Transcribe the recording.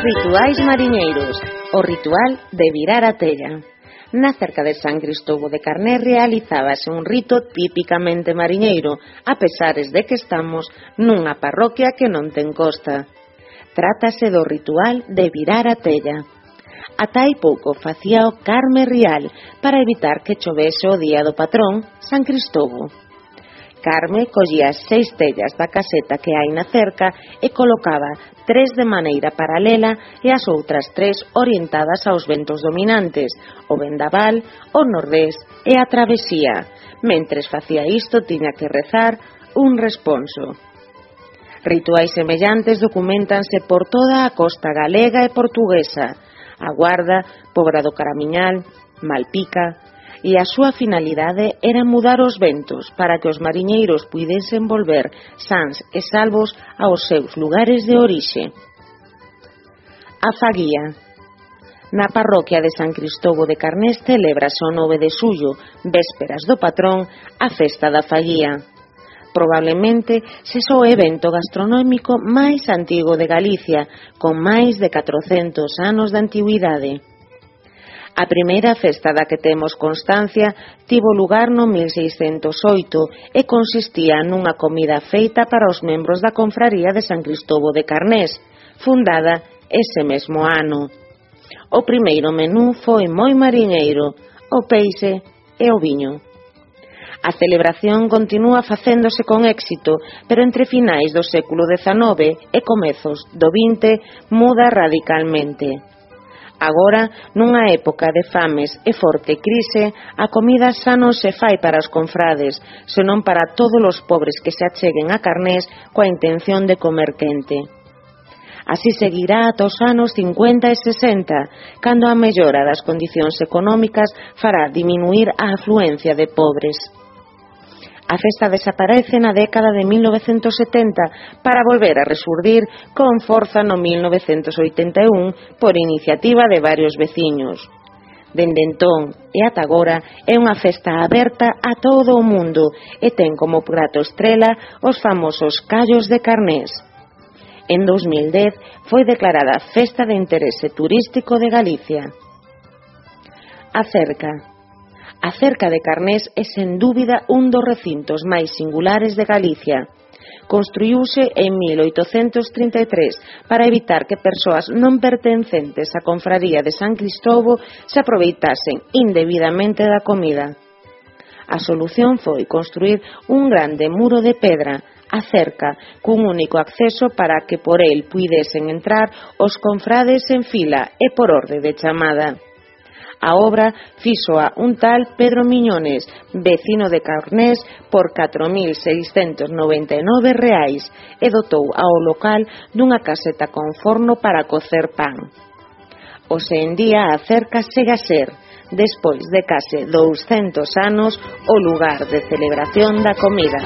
Rituais mariñeiros, o ritual de virar a tella. Na cerca de San Cristóbal de Carnés realizábase un rito típicamente mariñeiro, a pesares de que estamos nunha parroquia que non ten costa. Trátase do ritual de virar a tella. Ata hai pouco facía o Carme Rial para evitar que chovese o día do patrón, San Cristóbal. Carme collía 6 tellas da caseta que hai na cerca e colocaba 3 de maneira paralela e as outras 3 orientadas aos ventos dominantes, o vendaval, o nordés e a travesía. Mentres facía isto tiña que rezar un responso. Rituais semellantes documentanse por toda a costa galega e portuguesa, a Guarda, Pobra do Caramiñal, Malpica, e a súa finalidade era mudar os ventos para que os mariñeiros puidesen volver sans e salvos aos seus lugares de orixe. A faguía. Na parroquia de San Cristóbal de Carnés celébrase o 9 de xullo, vésperas do patrón, a festa da faguía. Probablemente sexa o evento gastronómico máis antigo de Galicia, con máis de 400 anos de antigüidade. A primeira festa da que temos constancia tivo lugar no 1608 e consistía nunha comida feita para os membros da confraría de San Cristóbal de Carnés, fundada ese mesmo ano. O primeiro menú foi moi mariñeiro, o peixe e o viño. A celebración continúa facéndose con éxito, pero entre finais do século XIX e comezos do XX muda radicalmente. Agora, nunha época de fames e forte crise, a comida xa non se fai para os confrades, senón para todos os pobres que se acheguen a Carnés coa intención de comer quente. Así seguirá ata os anos 50 e 60, cando a mellora das condicións económicas fará diminuir a afluencia de pobres. A festa desaparece na década de 1970 para volver a resurdir con forza no 1981 por iniciativa de varios veciños. Dende entón e ata agora é unha festa aberta a todo o mundo e ten como prato estrela os famosos callos de Carnés. En 2010 foi declarada Festa de Interese Turístico de Galicia. A cerca. A cerca de Carnés é sen dúbida un dos recintos máis singulares de Galicia. Construíuse en 1833 para evitar que persoas non pertencentes á confraría de San Cristóbal se aproveitasen indebidamente da comida. A solución foi construír un grande muro de pedra, a cerca, cun único acceso para que por el puidesen entrar os confrades en fila e por orde de chamada. A obra fíxoa un tal Pedro Miñones, vecino de Carnés, por 4.699 reais e dotou ao local dunha caseta con forno para cocer pan. Hoxe en día a cerca segue a ser, despois de case 200 anos, o lugar de celebración da comida.